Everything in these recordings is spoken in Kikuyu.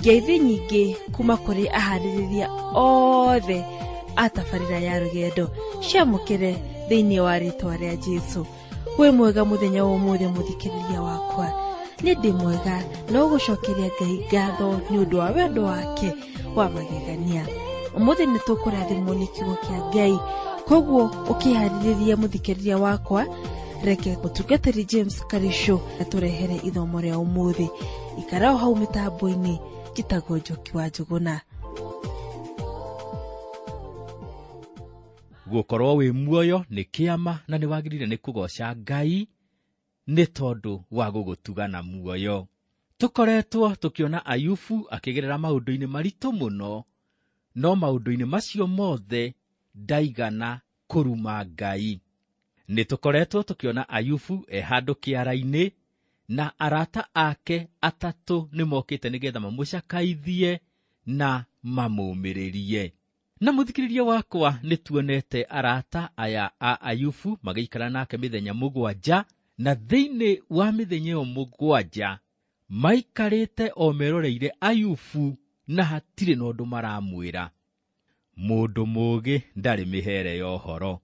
Ngeithi nyingĩ kuma kũrĩ aharĩrĩria othe a tabarĩra ya rũgendo ciamũkĩre thĩinĩ wa rĩtwa rĩa Jesu. Wĩ mwega mũthenya wa ũmũthĩ mũthikĩrĩria wakwa, nĩ ndĩ mwega no gũcokeria Ngai ngatho nĩ ũndũ wa wendo wake wa magegania. Ũmũthĩ nĩ tũkũrathimwo nĩ kiugo kĩa Ngai, koguo ũkĩharĩrĩria mũthikĩrĩria wakwa, reke mũtungatĩri James Karisho atũrehere ithomo rĩa ũmũthĩ. Ikara o hau mĩtambo-inĩ, njĩtagwo Njoki wa Njũgũna. Gũkorwo wĩ muoyo nĩ kĩama na nĩ wagĩrĩire nĩ kũgoca Ngai nĩ tondũ wa gũgũtuga na muoyo. Tũkoretwo tũkĩona Ayubu akĩgerera maũndũ-inĩ maritũ mũno, no maũndũ-inĩ macio mothe ndaigana kũruma Ngai. Nĩ tũkoretwo tũkĩona Ayubu e handũ kĩara-inĩ na arata ake atatũ nĩ mokĩte nĩgetha mamũcakaithie na mamũmĩrĩrie. Na mũthikĩrĩria wakwa, nĩ tuonete arata aya a Ayubu magĩikara nake mĩthenya 7, na thĩinĩ wa mĩthenya ĩyo 7 maikarĩte o meroreire Ayubu na hatirĩ na ũndũ maramwĩra. Mũndũ mũũgĩ ndarĩ mĩhere ya ũhoro.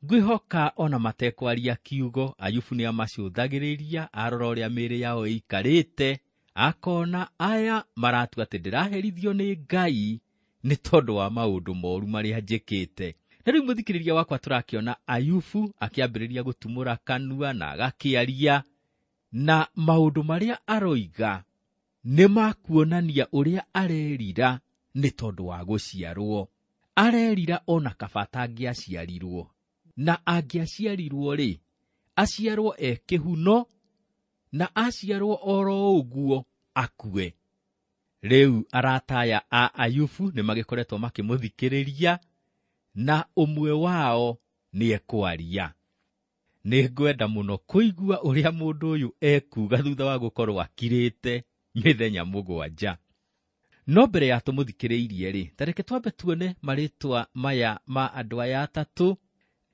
Ngwĩhoka ona matekwaria kiugo, Ayubu nĩ amacũthagĩrĩria, arora ũrĩa mĩĩrĩ yao ĩikarĩte, akona aya maratua atĩ ndĩraherithio nĩ Ngai nĩ tondũ wa maũndũ moru marĩa njĩkĩte. Na rĩu mũthikĩrĩria wakwa, tũrakĩona Ayubu akĩambĩrĩria gũtumũra kanua na agakĩaria, na maũndũ marĩa aroiga nĩ makuonania ũrĩa arerira nĩ tondũ wa gũciarwo. Arerira ona kaba atangĩaciarirwo, na angĩaciarirwo rĩ, aciarwo e kĩhuno, na aciarwo oro ũguo akue. Rĩu arata aya a Ayubu nĩ magĩkoretwo makĩmũthikĩrĩria, na ũmwe wao nĩ ekwaria. Nĩ ngwenda mũno kũigua ũrĩa mũndũ ũyũ ekuga thutha wa gũkorwo akirĩte mĩthenya 7. No mbere ya tũmũthikĩrĩirie rĩ, ta reke twambe tuone marĩtwa maya ma andũ aya atatũ,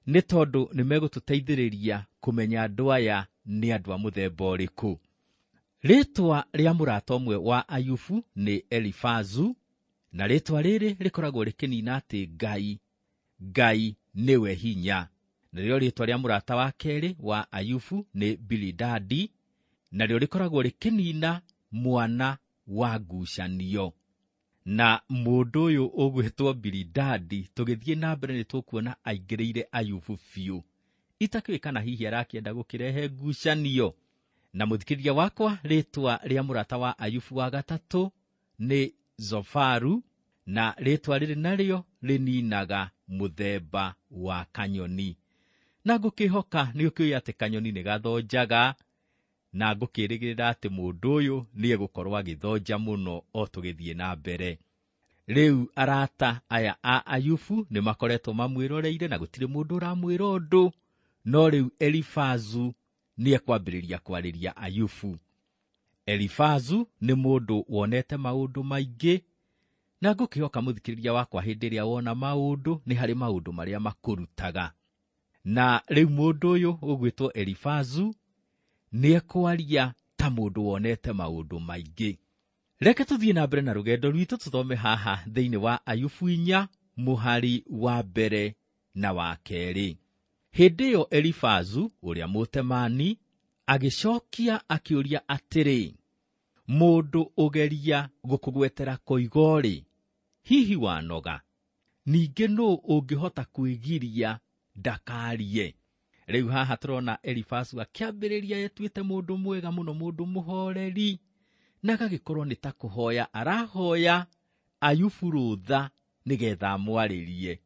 nĩ tondũ nĩ megũtũteithĩrĩria kũmenya andũ aya nĩ andũ a mũthemba ũrĩkũ. Rĩtwa rĩa mũrata ũmwe wa Ayubu nĩ Elifazu, na rĩtwa rĩrĩ rĩkoragwo rĩkĩnina atĩ Ngai nĩwe hinya. Narĩo rĩtwa rĩa mũrata wa kerĩ wa Ayubu nĩ Bilidadi, narĩo rĩkoragwo rĩkĩnina mwana wa ngucanio. Na mũndũ ũyũ ũgwĩtwo Bilidadi, tũgĩthiĩ na mbere nĩ tũkuona aingĩrĩire Ayubu biũ. Itakĩũĩ kana hihi arakĩenda gũkĩrehe ngucanio. Na mũthikĩrĩria wakwa, rĩtwa rĩa mũrata wa Ayubu wa gatatũ nĩ Zofaru, na rĩtwa rĩrĩ narĩo rĩninaga mũthemba wa kanyoni. Na ngũkĩhoka nĩ ũkĩũĩ atĩ kanyoni nĩ gathonjaga, na ngũkĩrĩgĩrĩra atĩ mũndũ ũyũ nĩ egũkorwo agĩthonja mũno o tũgĩthiĩ na mbere. Rĩu arata aya a Ayubu nĩ makoretwo mamwĩroreire na gũtirĩ mũndũ ũramwĩra ũndũ, no rĩu Elifazu nĩ ekwambĩrĩria kwarĩria Ayubu. Elifazu nĩ mũndũ wonete maũndũ maingĩ, na ngũkĩhoka mũthikĩrĩria wakwa hĩndĩ ĩrĩa wona maũndũ nĩ harĩ maũndũ marĩa makũrutaga. Na rĩu mũndũ ũyũ ũgwĩtwo Elifazu nĩ ekwaria ta mũndũ wonete maũndũ maingĩ. Reke tũthiĩ na mbere na rũgendo rwitũ tũthome haha thĩinĩ wa Ayubu 4 mũhari wa 1 na wa 2. Hĩndĩ ĩyo Elifazu ũrĩa Mũtemani agĩcokia akĩũria atĩrĩ, mũndũ ũgeria gũkũgwetera koigo-rĩ, hihi wanoga? Ningĩ nũũ ũngĩhota kwĩgiria ndakarie? Rĩu haha tũrona Elifazu akĩambĩrĩria etuĩte mũndũ mwega mũno, mũndũ mũhoreri, na agagĩkorwo nĩ ta kũhoya arahoya Ayubu rũtha nĩgetha amwarĩrie.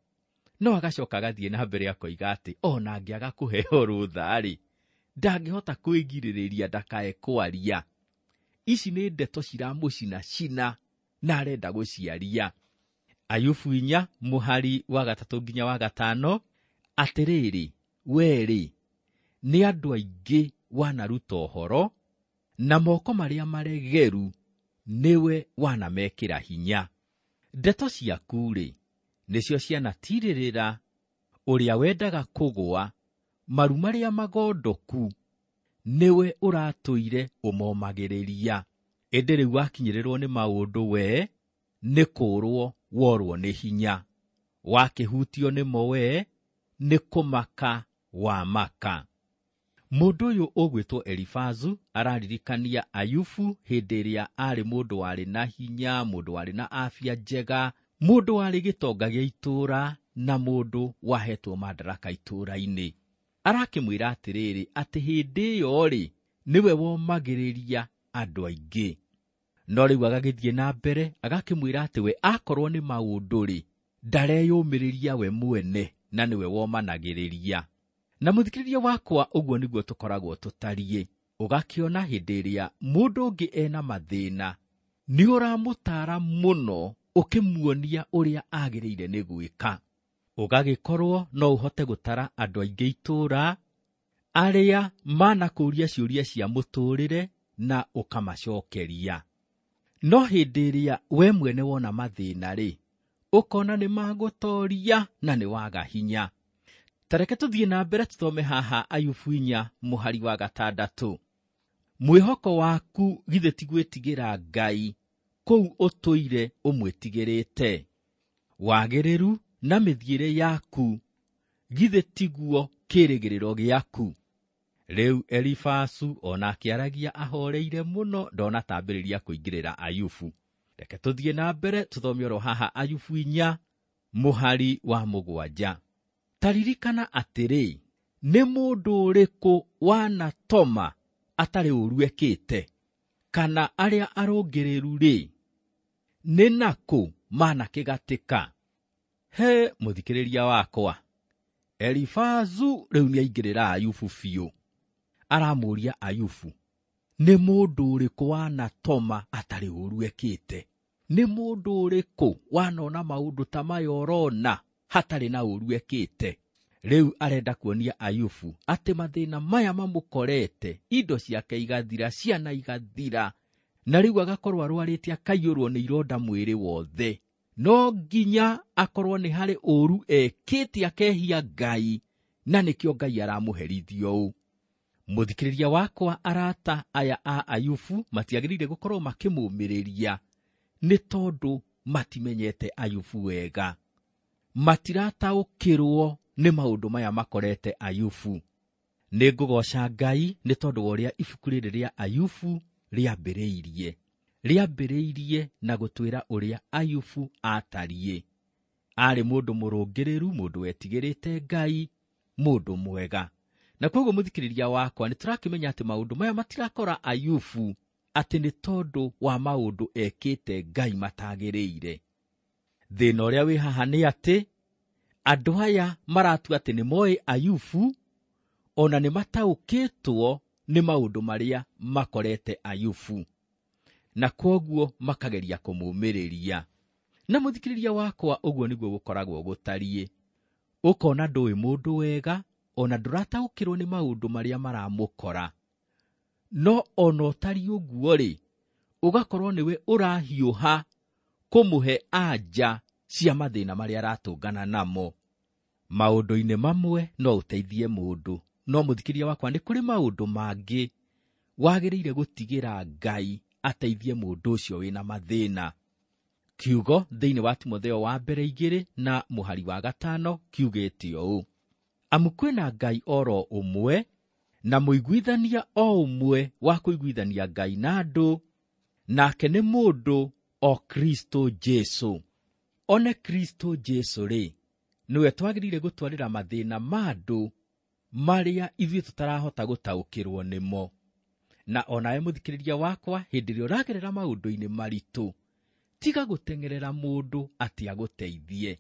No agacoka agathiĩ na mbere akoiga atĩ ona angĩaga kũheo rũtha-rĩ, ndangĩhota kwĩgirĩrĩria ndakae kwaria. Ici nĩ ndeto ciramũcinacina na arenda gũciaria. Ayubu 4 mũhari wa 3 nginya wa 5, atĩrĩrĩ, we-rĩ, nĩ andũ aingĩ wanaruta ũhoro, na moko marĩa maregeru nĩwe wanamekĩra hinya. Ndeto ciaku-rĩ, nĩcio cianatirĩrĩra ũrĩa wendaga kũgũa, maru marĩa magondoku nĩwe ũratũire ũmomagĩrĩria. Ĩndĩ rĩu wakinyĩrĩrwo nĩ maũndũ we nĩ kũũrwo worwo nĩ hinya, wakĩhutio nĩmo we nĩ kũmaka wamaka. Mũndũ ũyũ ũgwĩtwo Elifazu araririkania Ayubu hĩndĩ ĩrĩa arĩ mũndũ warĩ na hinya, mũndũ warĩ na afya njega, mũndũ warĩ gĩtonga gĩa itũũra na mũndũ wahetwo madaraka itũũra-inĩ. Arakĩmwĩra atĩrĩrĩ atĩ hĩndĩ ĩyo rĩ nĩwe womagĩrĩria andũ aingĩ. No rĩu agagĩthiĩ na mbere agakĩmwĩra atĩ we akorwo nĩ maũndũ rĩ ndareyũmĩrĩria we mwene na nĩwe womanagĩrĩria. Na mũthikĩrĩria wakwa, ũguo nĩguo tũkoragwo tũtariĩ. Ũgakĩona hĩndĩ ĩrĩa mũndũ ũngĩ ena mathĩna nĩ ũramũtara mũno ũkĩmuonia ũrĩa agĩrĩire nĩ gwĩka. Ũgagĩkorwo no ũhote gũtara andũ aingĩ itũũra arĩa manakũũria ciũria cia mũtũũrĩre na ũkamacokeria. No hĩndĩ ĩrĩa we mwene wona mathĩna rĩ, ũkona nĩ magũtoria na nĩ waga hinya. Ta reke tũthiĩ na mbere tũthome haha Ayubu 4 mũhari wa 6. Mwĩhoko waku githĩ ti gwĩtigĩra Ngai kũu ũtũire ũmwĩtigĩrĩte? Wagĩrĩru na mĩthiĩre yaku githĩ tiguo kĩĩrĩgĩrĩro gĩaku? Rĩu Elifazu ona akĩaragia ahoreire mũno ndonatambĩrĩria kũingĩrĩra Ayubu. Reke tũthiĩ na mbere tũthome oro haha Ayubu 4 mũhari wa 7. Ta ririkana atĩrĩ, nĩ mũndũ ũrĩkũ wanatoma atarĩ ũũru ekĩte? Kana arĩa arũngĩrĩru rĩ, nĩ nakũ manakĩgatĩka? He mũthikĩrĩria wakwa, Elifazu rĩu nĩaingĩrĩra Ayubu biũ. Aramũũria Ayubu, nĩ mũndũ ũrĩkũ wanatoma atarĩ ũũru ekĩte? Nĩ mũndũ ũrĩkũ wanona maũndũ ta maya ũrona hatarĩ na ũũru ekĩte? Rĩu arenda kuonia Ayubu atĩ mathĩna maya mamũkorete, indo ciake igathira, ciana igathira, na rĩu agakorwo arwarĩte akaiyũrwo nĩ ironda mwĩrĩ wothe. No nginya akorwo nĩ harĩ ũũru ekĩte akehia Ngai, na nĩkĩo Ngai aramũherithia ũũ. Mũthikĩrĩria wakwa, arata aya a Ayubu matiagĩrĩire gũkorwo makĩmũmĩrĩria nĩ tondũ matimenyete Ayubu wega. Matirataũkĩrwo nĩ maũndũ maya makorete Ayubu. Nĩ ngũgoca Ngai nĩ tondũ wa ũrĩa ibuku rĩrĩ rĩa Ayubu rĩambĩrĩirie. Rĩambĩrĩirie na gũtwĩra ũrĩa Ayubu atariĩ. Arĩ mũndũ mũrũngĩrĩru, mũndũ wetigĩrĩte Ngai, mũndũ mwega. Na koguo mũthikĩrĩria wakwa, nĩ tũrakĩmenya atĩ maũndũ maya matirakora Ayubu atĩ nĩ tondũ wa maũndũ ekĩte Ngai matagĩrĩire. Thĩna ũrĩa wĩ haha nĩ atĩ andũ aya maratua atĩ nĩ moĩ Ayubu, ona nĩ mataũkĩtwo nĩ maũndũ marĩa makorete Ayubu, na kwoguo makageria kũmũmĩrĩria. Na mũthikĩrĩria wakwa, ũguo nĩguo gũkoragwo gũtariĩ. Ũkona ndũĩ mũndũ wega, ona ndũrataũkĩrwo nĩ maũndũ marĩa maramũkora. No ona ũtariĩ ũguo rĩ, ũgakorwo nĩwe ũrahiũha kũmũhe anja cia mathĩna marĩa aratũngana namo. Maũndũ-inĩ mamwe no ũteithie mũndũ, no mũthikĩrĩria wakwa, nĩ kũrĩ maũndũ mangĩ wagĩrĩire gũtigĩra Ngai ateithie mũndũ ũcio wĩna mathĩna. Kiugo thĩinĩ wa Timotheo wa mbere 2 na mũhari wa 5 kiugĩte ũũ: amu kwĩna Ngai oro ũmwe na mũiguithania o ũmwe wa kũiguithania Ngai na andũ, nake nĩ mũndũ o Kristo Jesu. One Kristo Jesu rĩ, nĩwe twagĩrĩire gũtwarĩra mathĩna ma andũ marĩa ithuĩ tũtarahota gũtaũkĩrwo nĩmo. Na onawe mũthikĩrĩria wakwa, hĩndĩ ĩrĩa ũragerera maũndũ-inĩ maritũ, tiga gũteng'erera mũndũ atĩ agũteithie.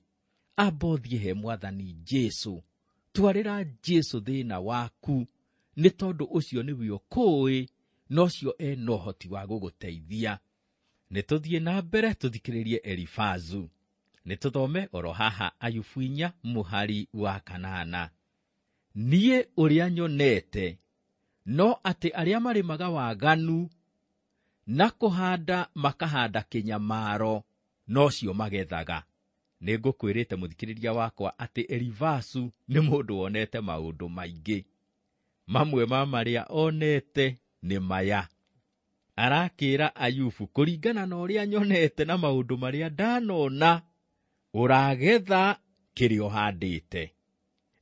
Amba ũthiĩ he Mwathani Jesu, twarĩra Jesu thĩna waku, nĩ tondũ ũcio nĩwe ũkũĩ, na ũcio ena ũhoti wa gũgũteithia. Nĩ tũthiĩ na mbere tũthikĩrĩrie Elifazu. Nĩ tũthome oro haha Ayubu 4 mũhari wa 8. Niĩ ũrĩa nyonete no atĩ arĩa marĩmaga waganu na kũhanda makahanda kĩnyamaro, nocio magethaga. Nĩ ngũkwĩrĩte mũthikĩrĩria wakwa atĩ Elifazu nĩ mũndũ wonete maũndũ maingĩ. Mamwe ma marĩa onete nĩ maya. Arakĩra Ayubu kũringana na ũrĩa nyonete na maũndũ marĩa ndanona, ũragetha kĩrĩa ũhandĩte.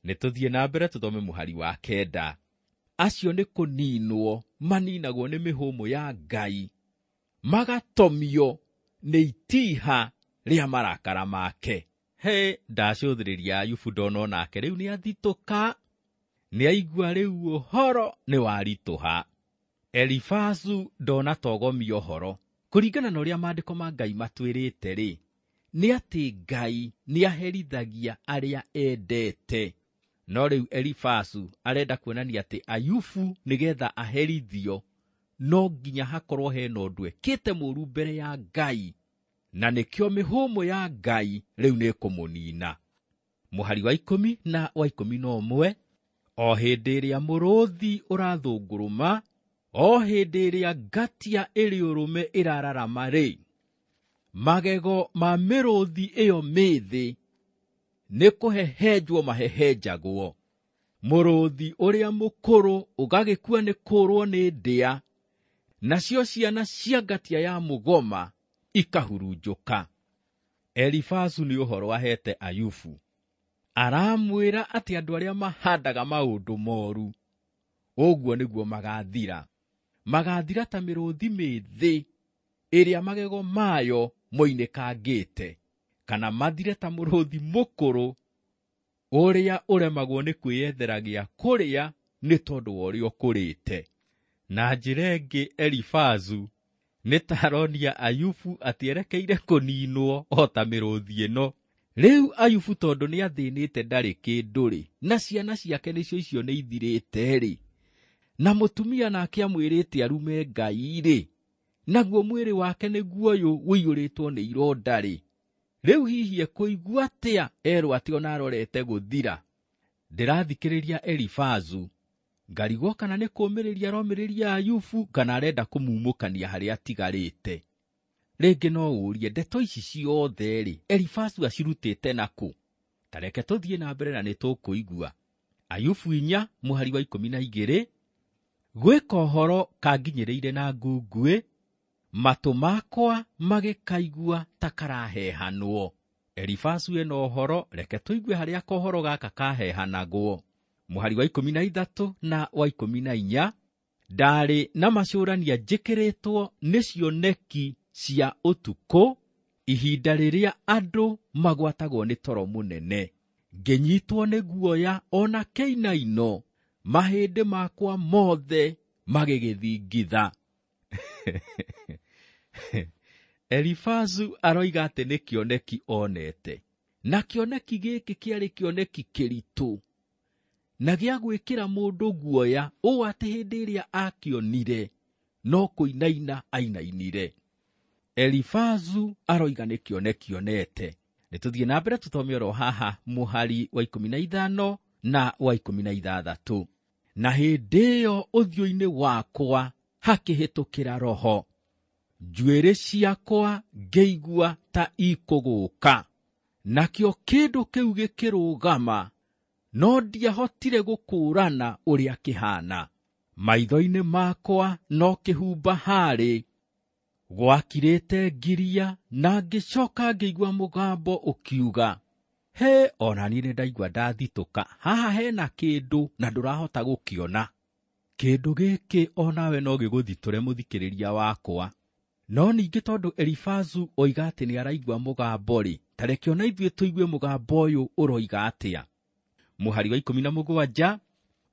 Nĩ tũthiĩ na mbere tũthome mũhari wa 9. Acio nĩ kũninwo maninagwo nĩ mĩhũmũ ya Ngai, magatomio nĩ itiha rĩa marakara make. He, ndacũthĩrĩria Ayubu ndona onake rĩu nĩ athitũka, nĩ aigua rĩu ũhoro nĩ waritũha. Elifazu ndona togomia ũhoro. Kũringana na ũrĩa maandĩko ma Ngai matwĩrĩte rĩ, nĩ atĩ Ngai nĩ aherithagia arĩa endete. No rĩu Elifazu arenda kuonania atĩ Ayubu nĩgetha aherithio no nginya hakorwo hena ũndũ ekĩte mũũru mbere ya Ngai, na nĩkĩo mĩhũmũ ya Ngai rĩu nĩ ĩkũmũnina. Mũhari wa 10 na wa 11, o hĩndĩ ĩrĩa mũrũthi ũrathũngũrũma, o hĩndĩ ĩrĩa ngatia ĩrĩ ũrũme ĩrararama rĩ, magego ma mĩrũthi ĩyo mĩthĩ nĩ kũhehenjwo mahehenjagwo. Mũrũthi ũrĩa mũkũrũ ũgagĩkua nĩ kũũrwo nĩ ndĩa, nacio ciana cia ngatia ya mũgoma ikahurunjũka. Elifazu nĩ ũhoro ahete Ayubu. Aramwĩra atĩ andũ arĩa mahandaga maũndũ moru, ũguo nĩguo magathira. Magathira ta mĩrũthi mĩthĩ ĩrĩa magego mayo moinĩkangĩte, kana mathire ta mũrũthi mũkũrũ ũrĩa ũremagwo nĩ kwĩyethera gĩa kũrĩa nĩ tondũ wa ũrĩa ũkũrĩte. Na njĩra ĩngĩ Elifazu nĩ ta aronia Ayubu atĩ erekeire kũninwo o ta mĩrũthi ĩno. Rĩu Ayubu tondũ nĩ athĩnĩte ndarĩ kĩndũ rĩ, na ciana ciake nĩcio icio nĩ ithirĩte rĩ, na mũtumia nake amwĩrĩte arume Ngai rĩ, naguo mwĩrĩ wake nĩguo ũyũ ũiyũrĩtwo nĩ ironda rĩ, rĩu hihi ekũigua atĩa erwo atĩ ona arorete gũthira? Ndĩrathikĩrĩria Elifazu ngarigwo kana nĩ kũũmĩrĩria aromĩrĩria Ayubu kana arenda kũmumũkania harĩa atigarĩte. Rĩngĩ no ũrie ndeto ici ciothe rĩ, Elifazu acirutĩte nakũ? Ta reke tũthiĩ na mbere na nĩ tũkũigua. Ayubu 4 mũhari wa 12, gwĩka ũhoro kanginyĩrĩire na ngunguĩ, matũ makwa magĩkaigua ta karahehanwo. Elifazu ena ũhoro, reke tũigue harĩa kohoro gaka kahehanagwo. Mũhari wa 13 na wa 14, ndarĩ na macũrania njĩkĩrĩtwo nĩ cioneki cia ũtukũ, ihinda rĩrĩa andũ magwatagwo nĩ toro mũnene. Ngĩnyitwo nĩ guoya ona kĩinaino, mahĩndĩ makwa mothe magĩgĩthingitha. Elifazu aroiga atĩ nĩ kĩoneki onete, na kĩoneki gĩkĩ kĩarĩ kĩoneki kĩritũ na gĩa gwĩkĩra mũndũ guoya ũũ atĩ hĩndĩ ĩrĩa akĩonire no kũinaina ainainire. Elifazu aroiga nĩ kĩoneki onete. Nĩ tũthiĩ na mbere tũthome oro haha mũhari wa 15 na wa 16. Na hĩndĩ ĩyo ũthiũ-inĩ wakwa hakĩhĩtũkĩra roho, njuĩrĩ ciakwa ngĩigua ta ikũgũka, nakĩo kĩndũ kĩu gĩkĩrũgama, no ndiahotire gũkũũrana ũrĩa kĩhana. Maitho-inĩ makwa no kĩhumba harĩ, gwakirĩte ngiria, na ngĩcoka ngĩigua mũgambo ũkiuga, he, ona niĩ nĩ ndaigua ndathitũka, haha hena kĩndũ na ndũrahota gũkĩona. Kĩndũ gĩkĩ onawe no gĩgũthitũre mũthikĩrĩria wakwa. No ningĩ tondũ Elifazu oiga atĩ nĩ araigua mũgambo rĩ, ta reke ona ithuĩ tũigue mũgambo ũyũ ũroiga atĩa. Mũhari wa 17,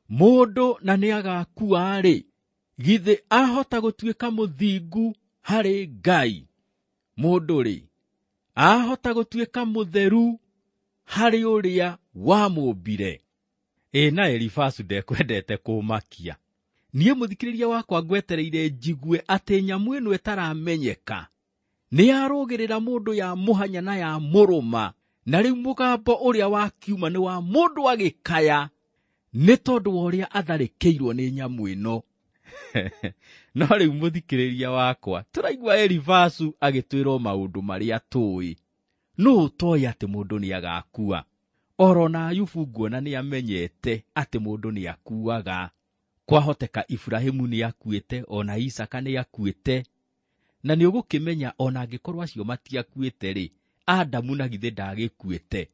mũndũ na nĩ agakua rĩ, githĩ ahota gũtuĩka mũthingu harĩ Ngai? Mũndũ rĩ, ahota gũtuĩka mũtheru harĩ ũrĩa wamũmbire? Ĩ na Elifazu ndekwendete kũmakia. Niĩ mũthikĩrĩria wakwa ngwetereire njigue atĩ nyamũ ĩno ĩtaramenyeka nĩ yarũgĩrĩra mũndũ ya mũhanya na ya mũrũma, na rĩu mũgambo ũrĩa wakiuma nĩ wa mũndũ agĩkaya nĩ tondũ wa ũrĩa atharĩkĩirwo nĩ nyamũ ĩno. No rĩu mũthikĩrĩria wakwa, tũraigua Elifazu agĩtwĩrwo maũndũ marĩa tũĩ. Nũ ũtoĩ atĩ mũndũ nĩ agakua? Oro na Ayubu nguona nĩ amenyete atĩ mũndũ nĩ akuaga. Kwahoteka Iburahĩmu nĩakuĩte, ona Isaka nĩakuĩte, na nĩ ũgũkĩmenya ona angĩkorwo acio matiakuĩte rĩ, Adamu na githĩ ndagĩkuĩte.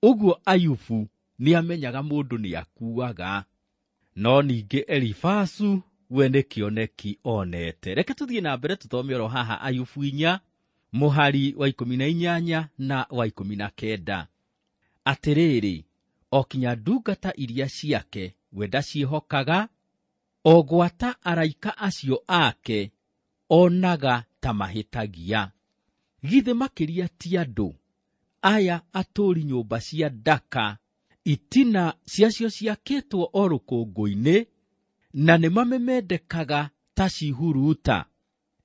Ũguo Ayubu nĩamenyaga mũndũ nĩakuaga. No ningĩ Elifazu we nĩ kĩoneki onete. Reke tũthiĩ na mbere tũthome oro haha Ayubu 4 mũhari wa 18 na wa 19. Atĩrĩrĩ, o kinya ndungata iria ciake we ndaciĩhokaga, o gwata araika acio ake onaga ta mahĩtagia. Githĩ makĩria ti andũ aya atũũri nyũmba cia ndaka, itina ciacio ciakĩtwo o rũkũngũ-inĩ, na nĩ mamemendekaga ta cihuruta.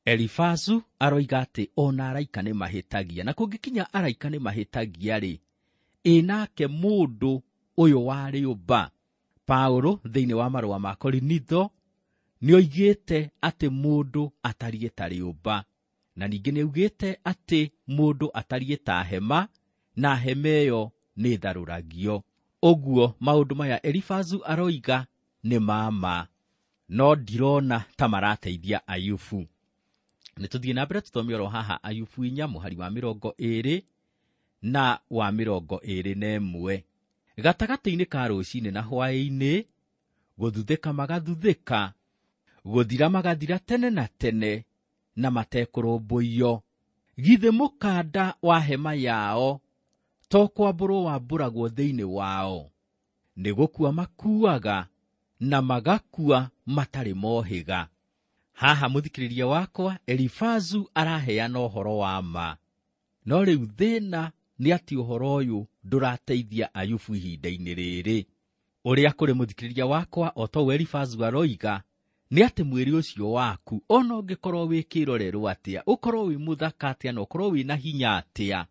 Elifazu aroiga atĩ ona araika nĩ mahĩtagia, na kũngĩkinya araika nĩ mahĩtagia rĩ, ĩ nake mũndũ ũyũ wa rĩũmba. Paulo thĩinĩ wa marũa ma Korinitho nĩoigĩte atĩ mũndũ atariĩ ta rĩũmba, na ningĩ nĩaugĩte atĩ mũndũ atariĩ ta hema, na hema ĩyo nĩ ĩtharũragio. Ũguo maũndũ maya Elifazu aroiga nĩ ma ma, no ndirona ta marateithia Ayubu. Nĩ tũthiĩ na mbere tũthome oro haha Ayubu 4 mũhari wa 20 na wa 21. Gatagatĩ-inĩ ka rũcinĩ na hwaĩ-inĩ, gũthuthĩka magathuthĩka, gũthira magathira tene na tene, na matekũrũmbũiyo. Githĩ mũkanda wa hema yao to kwambũrwo wambũragwo thĩinĩ wao? Nĩ gũkua makuaga na magakua matarĩ mohĩga. Haha mũthikĩrĩria wakwa, Elifazu araheana ũhoro wa ma. No rĩu thĩna nĩ atĩ ũhoro ũyũ ndũrateithia Ayubu ihinda-inĩ rĩrĩ. Ũrĩa kũrĩ mũthikĩrĩria wakwa, o ta ũguo Elifazu aroiga, nĩ atĩ mwĩrĩ ũcio waku ona ũngĩkorwo wĩ kĩrorerwo atĩa, ũkorwo wĩ mũthaka atĩa, na ũkorwo wĩna hinya atĩa,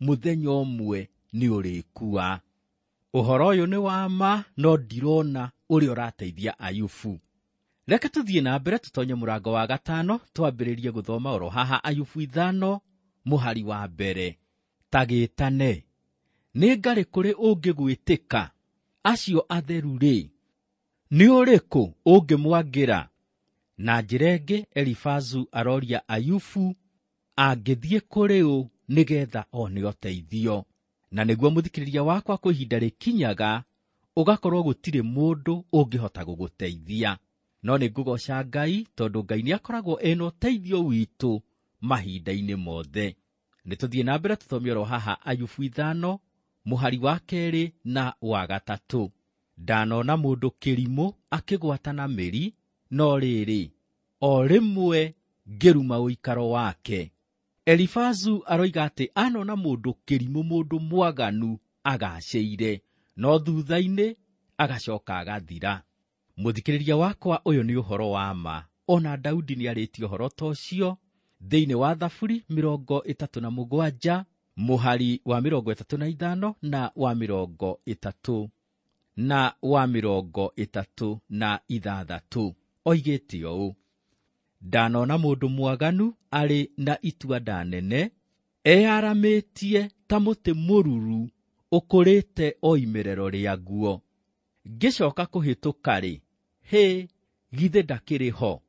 mũthenya ũmwe nĩ ũrĩkua. Ũhoro ũyũ nĩ wa ma, no ndirona ũrĩa ũrateithia Ayubu. Reke tũthiĩ na mbere tũtonye mũrango wa 5, twambĩrĩrie gũthoma oro haha Ayubu 5 mũhari wa 1. Ta gĩtane, nĩ ngarĩ kũrĩ ũngĩgwĩtĩka? Acio atheru rĩ, nĩ ũrĩkũ ũngĩmwangĩra? Na njĩra ĩngĩ Elifazu aroria Ayubu angĩthiĩ kũrĩ ũ nĩgetha one ũteithio. Na nĩguo mũthikĩrĩria wakwa, kwĩ ihinda rĩkinyaga ũgakorwo gũtirĩ mũndũ ũngĩhota gũgũteithia. No nĩ ngũgoca Ngai tondũ Ngai nĩakoragwo ena ũteithio witũ mahinda-inĩ mothe. Nĩ tũthiĩ na mbere tũthome oro haha Ayubu 5 mũhari wa 2 na wa 3. Ndanona mũndũ kĩrimũ akĩgwata na mĩri, no rĩrĩ, o rĩmwe ngĩruma ũikaro wake. Elifazu aroiga atĩ anona mũndũ kĩrimũ, mũndũ mwaganu agacĩire, no thutha-inĩ agacoka agathira. Mũthikĩrĩria wakwa, ũyũ nĩ ũhoro wa ma. Ona Daudi nĩarĩtie ũhoro ta ũcio thĩinĩ wa Thaburi 37 mũhari wa 35 na wa 30 na wa 36. Oigĩte ũũ: ndanona mũndũ mwaganu arĩ na itua nene, eyaramĩtie ta mũtĩ mũruru ũkũrĩte o imerero rĩaguo. Ngĩcoka kũhĩtũka rĩ, hĩ, githĩ ndakĩrĩ ho?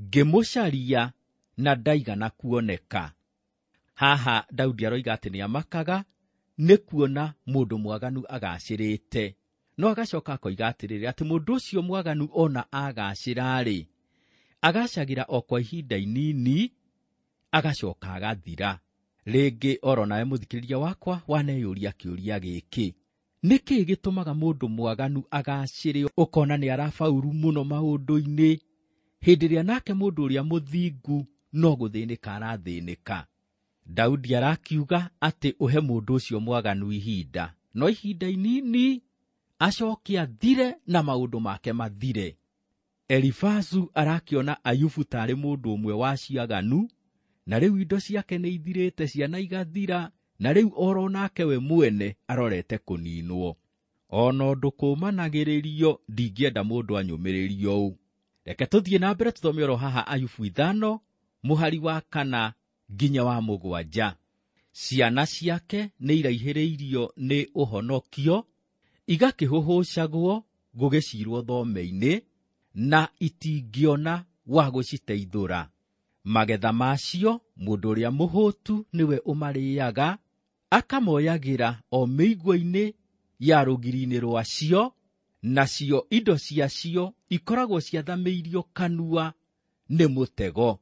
Ngĩmũcaria na ndaigana kuoneka. Haha Daudi aroiga atĩ nĩamakaga nĩ kuona mũndũ mwaganu agacĩrĩte, no agacoka akoiga atĩrĩrĩ, atĩ mũndũ ũcio mwaganu ona agacĩra-rĩ, agacagĩra o kwa ihinda inini, agacoka agathira. Rĩngĩ oro nawe mũthikĩrĩria wakwa waneyũria kĩũria gĩkĩ: nĩ kĩĩ gĩtũmaga mũndũ mwaganu agacĩre, ũkona nĩ arabauru mũno maũndũ-inĩ, hĩndĩ ĩrĩa nake mũndũ ũrĩa mũthingu no gũthĩnĩka arathĩnĩka? Daudi arakiuga atĩ ũhe mũndũ ũcio mwaganu ihinda, no ihinda inini acoke athire na maũndũ make mathire. Elifazu arakiona Ayubu tarĩ mũndũ ũmwe wa ciaganu, na rĩu indo ciake nĩ ithirĩte, ciana igathira, na rĩu oro nake we mwene arorete kũninwo. Ona ũndũ kũmanagĩrĩrio, ndingĩenda mũndũ anyũmĩrĩrio ũũ. Reke tũthiĩ na mbere tũthome oro haha Ayubu 5 mũhari wa 4 nginya wa 7. Ciana ciake nĩ iraihĩrĩirio nĩ ũhonokio, igakĩhũhũcagwo gũgĩcirwo thome-inĩ, na itingĩona wa gũciteithũra. Magetha macio mũndũ ũrĩa mũhũtu nĩwe ũmarĩaga, akamoyagĩra o mĩigua-inĩ ya rũgiri-inĩ rwacio, nacio indo ciacio ikoragwo ciathamĩirio kanua nĩ mũtego.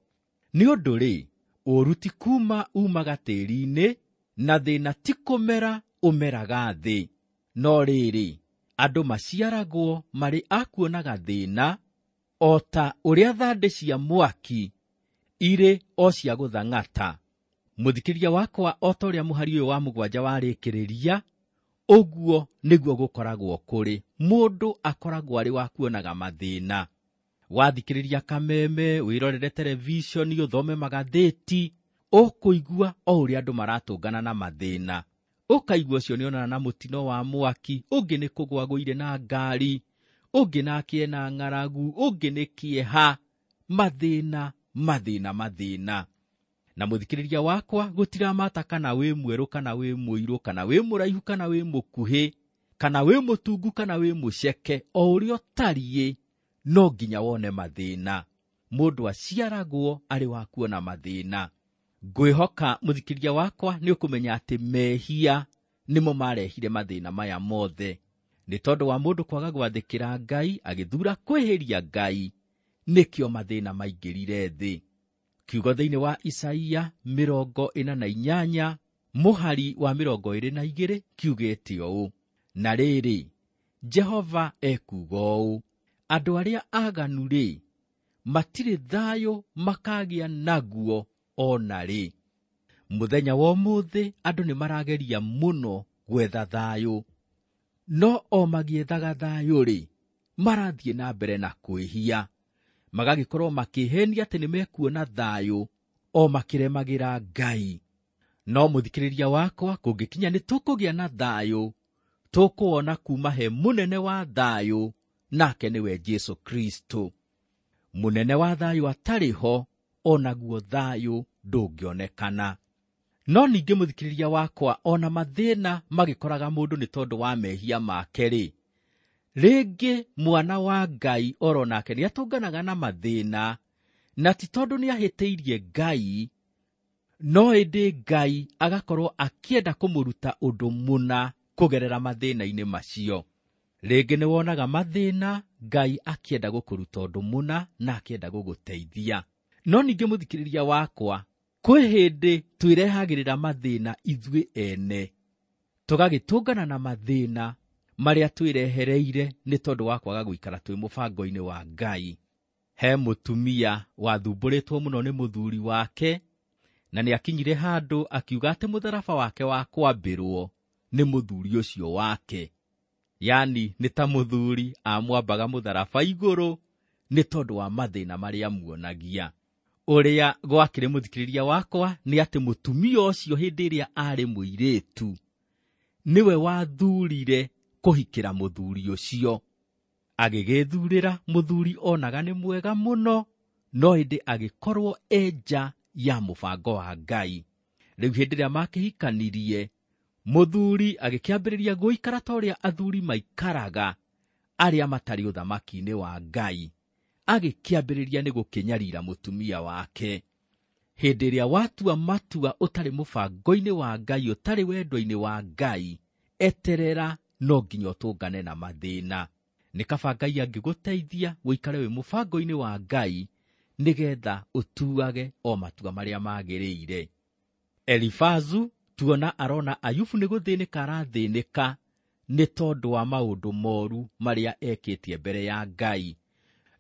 Nĩ ũndũ rĩ, ũũru ti kuuma umaga tĩĩri-inĩ, na thĩna ti kũmera ũmeraga thĩ. No rĩrĩ, andũ maciaragwo marĩ a kuonaga thĩna, o ta ũrĩa thandĩ cia mwaki irĩ o cia gũthang'ata. Mũthikĩria wakwa, o ta ũrĩa mũhari ũyũ wa 7 warĩkĩrĩria, ũguo nĩguo gũkoragwo kũrĩ. Mũndũ akoragwo arĩ wa kuonaga mathĩna. Wathikĩrĩria kameme, wĩrorere televishoni, ũthome magathĩti, ũkũigua o ũrĩa andũ maratũngana na mathĩna. Ũkaigua ũcio nĩonana na mũtino wa mwaki, ũngĩ nĩ kũgũa agũire na ngari, ũngĩ nake ena ng'aragu, ũngĩ nĩ kĩeha. Mathĩna, mathĩna, mathĩna. Na mũthikĩrĩria wakwa, gũtiramata kana wĩ mwerũ kana wĩ mũirũ, kana wĩ mũraihu kana wĩ mũkuhĩ, kana wĩ mũtungu kana wĩ mũceke, o ũrĩa ũtariĩ no nginya wone mathĩna. Mũndũ aciaragwo arĩ wa kuona mathĩna. Ngwĩhoka mũthikĩrĩria wakwa nĩ ũkũmenya atĩ mehia nĩmo marehire mathĩna maya mothe. Nĩ tondũ wa mũndũ kwaga gwathĩkĩra Ngai, agĩthura kwĩhĩria Ngai, nĩkĩo mathĩna maingĩrire thĩ. Kiugo thĩinĩ wa Isaia 48 mũhari wa 22 kiugĩte ũũ: na rĩrĩ, Jehova ekuuga ũũ, andũ arĩa aganu rĩ, matirĩ thayũ makagĩa naguo o na rĩ. Mũthenya wa ũmũthĩ andũ nĩ marageria mũno gwetha thayũ, no o magĩethaga thayũ rĩ, marathiĩ na mbere na kwĩhia, magagĩkorwo makĩhenia atĩ nĩ mekuona thayũ o makĩremagĩra Ngai. No mũthikĩrĩria wakwa, kũngĩkinya nĩ tũkũgĩa na thayũ, tũkũwona kuma he mũnene wa thayũ, nake nĩwe Jesũ Kristo. Mũnene wa thayũ atarĩ ho, onaguo thayũ ndũngĩonekana. No ningĩ mũthikĩrĩria wakwa, ona mathĩna magĩkoraga mũndũ nĩ tondũ wa mehia make rĩ, rĩngĩ mwana wa Ngai oro nake nĩatũnganaga na mathĩna, na ti tondũ nĩahĩtĩirie Ngai, no ĩndĩ Ngai agakorwo akĩenda kũmũruta ũndũ mũna kũgerera mathĩna-inĩ macio. Rĩngĩ nĩwonaga mathĩna Ngai akĩenda gũkũruta ũndũ mũna na akĩenda gũgũteithia. No ningĩ mũthikĩrĩria wakwa, kwĩ hĩndĩ twĩrehagĩrĩra mathĩna ithuĩ ene, tũgagĩtũngana na mathĩna marĩa twĩrehereire nĩ tondũ wa kwaga gũikara twĩ mũbango-inĩ wa Ngai. He mũtumia wathumbũrĩtwo mũno nĩ mũthuri wake, na nĩakinyire handũ akiuga atĩ mũtharaba wake wa kwambĩrwo nĩ mũthuri ũcio wake. Yani nĩ ta mũthuri amwambaga mũtharaba igũrũ nĩ tondũ wa mathĩna marĩa amuonagia. Ũrĩa gwakĩrĩ mũthikĩrĩria wakwa nĩ atĩ mũtumia ũcio hĩndĩ ĩrĩa arĩ mũirĩtu nĩwe wathurire kũhikĩra mũthuri ũcio. Agĩgĩthurĩra mũthuri onaga nĩ mwega mũno, no ĩndĩ agĩkorwo enja ya mũbango wa Ngai. Rĩu hĩndĩ ĩrĩa makĩhikanirie, mũthuri agĩkĩambĩrĩria gũikara ta ũrĩa athuri maikaraga arĩa matarĩ ũthamaki-inĩ wa Ngai. Agĩkĩambĩrĩria nĩ gũkĩnyarira mũtumia wake. Hĩndĩ ĩrĩa watua matua ũtarĩ mũbango-inĩ wa Ngai, ũtarĩ wendo-inĩ wa Ngai, eterera no nginya ũtũngane na mathĩna. Nĩ kaba Ngai angĩgũteithia ũikare wĩ mũbango-inĩ wa Ngai, nĩgetha ũtuage o matua marĩa magĩrĩire. Elifazu tuona arona Ayubu nĩ gũthĩnĩka arathĩnĩka nĩ tondũ wa maũndũ moru marĩa ekĩtie mbere ya Ngai.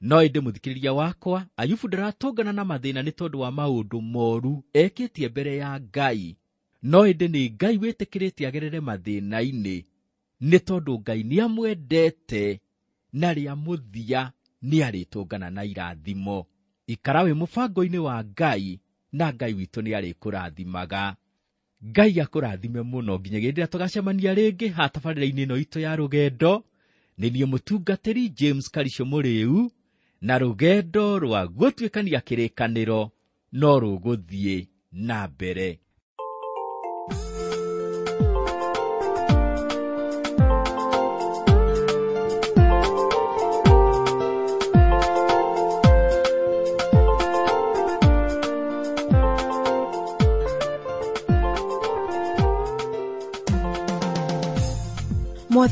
No ĩndĩ mũthikĩrĩria wakwa, Ayubu ndaratũngana na mathĩna nĩ tondũ wa maũndũ moru ekĩtie mbere ya Ngai. No ĩndĩ nĩ Ngai wĩtĩkĩrĩte agerere mathĩna-inĩ, nĩ tondũ Ngai nĩamwendete, na rĩa mũthia nĩarĩtũngana na irathimo. Ikara wĩ mũbango-inĩ wa Ngai, na Ngai witũ nĩarĩkũrathimaga. Ngai akũrathime mũno nginya hĩndĩ ĩrĩa tũgacemania rĩngĩ ha tabarĩra-inĩ ĩno itũ ya rũgendo. Nĩ niĩ mũtungatĩri James Karisho Mũrĩu, na rũgendo rwa gũtuĩkania kĩrĩkanĩro no rũgũthiĩ na mbere.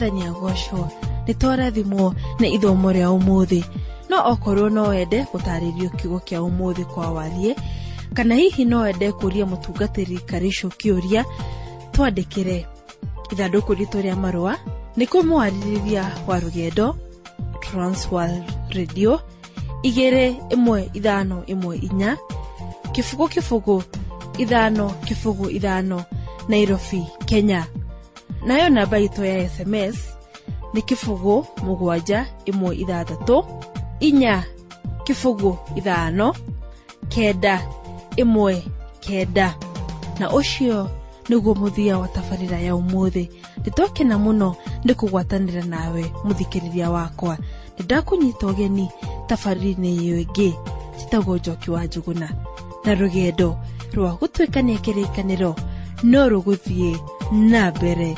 Mwathani agocwo. Nĩ twarathimwo nĩ ithomo rĩa ũmũthĩ. No okorwo no wende gũtarĩrio kiugo kĩa ũmũthĩ kwa warie, kana hihi no wende kũria mũtungatĩri Karicũ kĩũria, twandĩkĩre ithandũkũ ritũ rĩa marũa nĩ kũmwarĩrĩria wa rũgendo Transworld Radio 21514 0 0 5 0 5 Nairobi, Kenya. Nayo namba itũ ya SMS nĩ 0 7 1 6 4 0 5 9 1 9. Na ũcio nĩguo mũthia wa tabarĩra ya ũmũthĩ. Nĩtwakena mũno nĩ kũgwatanĩra nawe mũthikĩrĩria wakwa. Nĩndakũnyita ũgeni tabarĩra-inĩ ĩyo ĩngĩ njĩtagwo Njoki wa Njũgũna, na rũgendo rwa gũtuĩkania kĩrĩkanĩro no rũgũthiĩ na mbere.